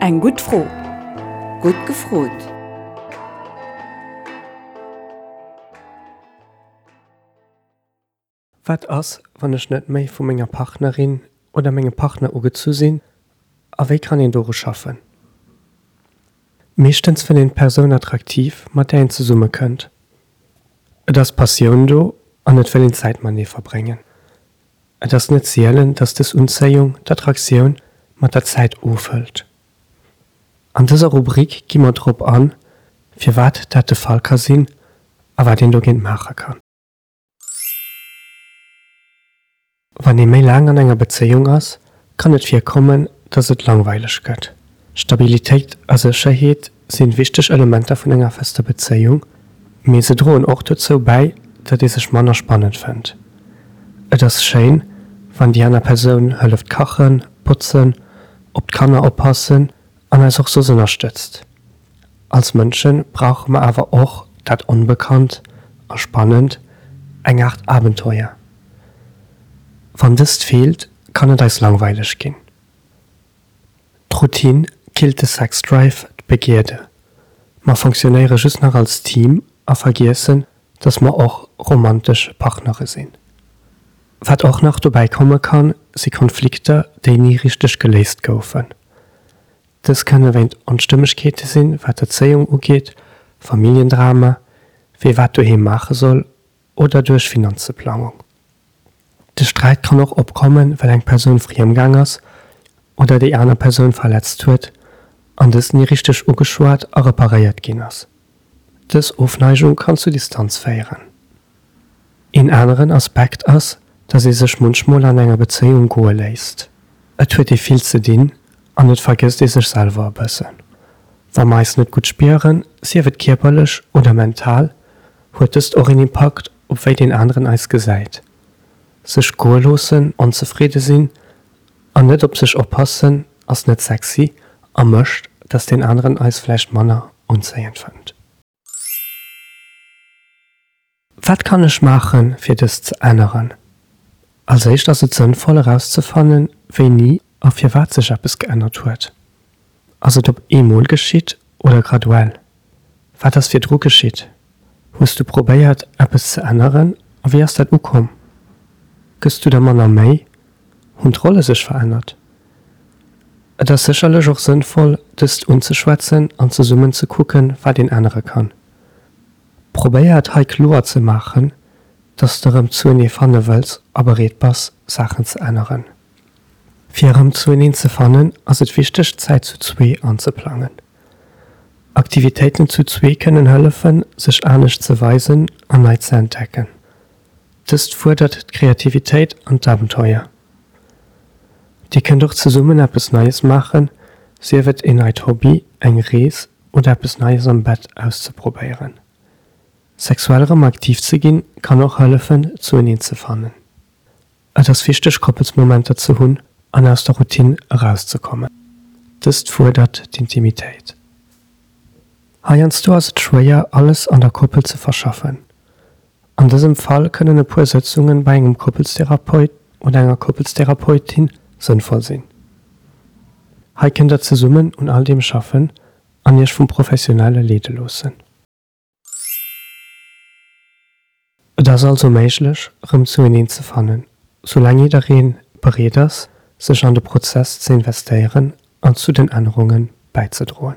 Eng gutt Fro. Gutt gefrot! Wat ass, wann ech net méi vu menger Partnerin oder mengem Partner ugezu sinn a wéi kann een doru schaffen? Meeschtens fënnt een d'Persoun attraktiv, mat där een zesumme kënnt. Et ass Passioun do an et wëll een Zäit matenee verbréngen. Et ass net sielen, dass dës Unzéiung, d'Attraktioun, mat der Zäit ofhëlt. An dëser Rubrik gi mer drop an, firwat dat de Fall ka sinn a wat een dogéint maache kann. Wann ee méi laang an enger Bezéiung ass, kann et virkommen, dass et langweileg gëtt. Stabilitéit a Sécherheet sinn wichteg Elementer vun enger fester Bezéiung, mee se droen och dozou bäi, datt ee sech manner spannend fënnt. Et ass schéin, wann déi aner Persoun hëlleft kachen, botzen, op d'Kanner oppassen an eis och soss ënnerstëtzt. Als Mënsche brauche mer awer och dat Onbekannt a Spannend, eng Aart Abenteuer. Wann dëst feelt, kann et eis langweileg ginn. D'Routine killt de Sexdrive, d'Begierde. Mer fonctionnéiere just nach als Team a vergiessen, dass mer och romantesch Partnere sinn. Wat och nach dobäi komme kann, si Konflikter, déi ni richteg geléist goufen. Dës kënne wéint Onstëmmegkeete sinn, wat d'Erzéiung ugeet, Familljendrama, wee wat doheem maache soll oder duerch Finanzeplangung. De Sträit kann och opkommen, well eng Persoun friemgaang ass oder déi aner Persoun verletzt huet an dëst ni richteg ugeschwat a reparéiert ginn ass. Dës Ofneigung kann zu Distanz féieren. Een aneren Aspekt ass, dass ee sech munchmol an enger Bezéiung goe léisst. Et huet ee vill ze dinn an et vergësst ee sech selwer e bëssen. Wa mer eis net gutt spieren, sief et kierperlech oder mental, huet dëst och een Impakt op wéi deen aneren eis gesäit. Sech goe loossen, onzefridde sinn an net op sech oppassen ass net sexy a mécht, dass deen aneren eis vläicht manner unzéiend fënnt. Wat kann ech maachen, fir dëst ze änneren? Als éischt ass et sënnvoll erauszefannen, wéini a firwat sech eppes geännert huet. Ass et op eemol geschitt oder graduell? Wat ass virdru geschitt? Hues du probéiert, eppes ze änneren a wéi ass dat ukomm? Gëss du der manner Méi? Hunn d'Rolle sech verännert? Et ass sécherlech och sënnvoll, dëst unzeschwätzen an zesummen ze kucken, wat een ännere kann. Probéier et hei kloer ze maachen, dass de rëm zuenee fanne wëlls a bereet bass, Saachen ze änneren. Fir erëm zueneen ze fannen, ass et wichteg, Zäit zu zwee anzeplangen. Aktivitéiten zu zwee kënnen hëllefen, sech anescht ze weisen an nei ze entdecken. Dëst fuerdert d'Kreativitéit an d'Abenteuer. Dir kënnt och zesummen eppes Neies maachen, sief et een neit Hobby, eng Rees oder eppes Neies am Bett auszeprobéieren. Sexuell erëm aktiv ze ginn, kann och hëllefen, zueneen ze fannen. Et ass wichteg Koppelsmomenter ze hunn an aus der Routine erauszekommen. Dëst fuerdert d'Intimitéit. Heiansdo ass et schwéier, alles an der Koppel ze verschaffen. An dësem Fall kënnen e puer Sëtzungen bei engem Koppelstherapeut oder enger Koppelstherapeutin sënnvoll sinn. Hei kënnt der zesummen un all deem schaffen an iech vum Professionelle leede loossen. Et ass also méiglech, rëm zueneen ze fannen, soulaang jidderee bereet ass, sech an de Prozess ze investéieren an zu den Ännerunge bäizedroen.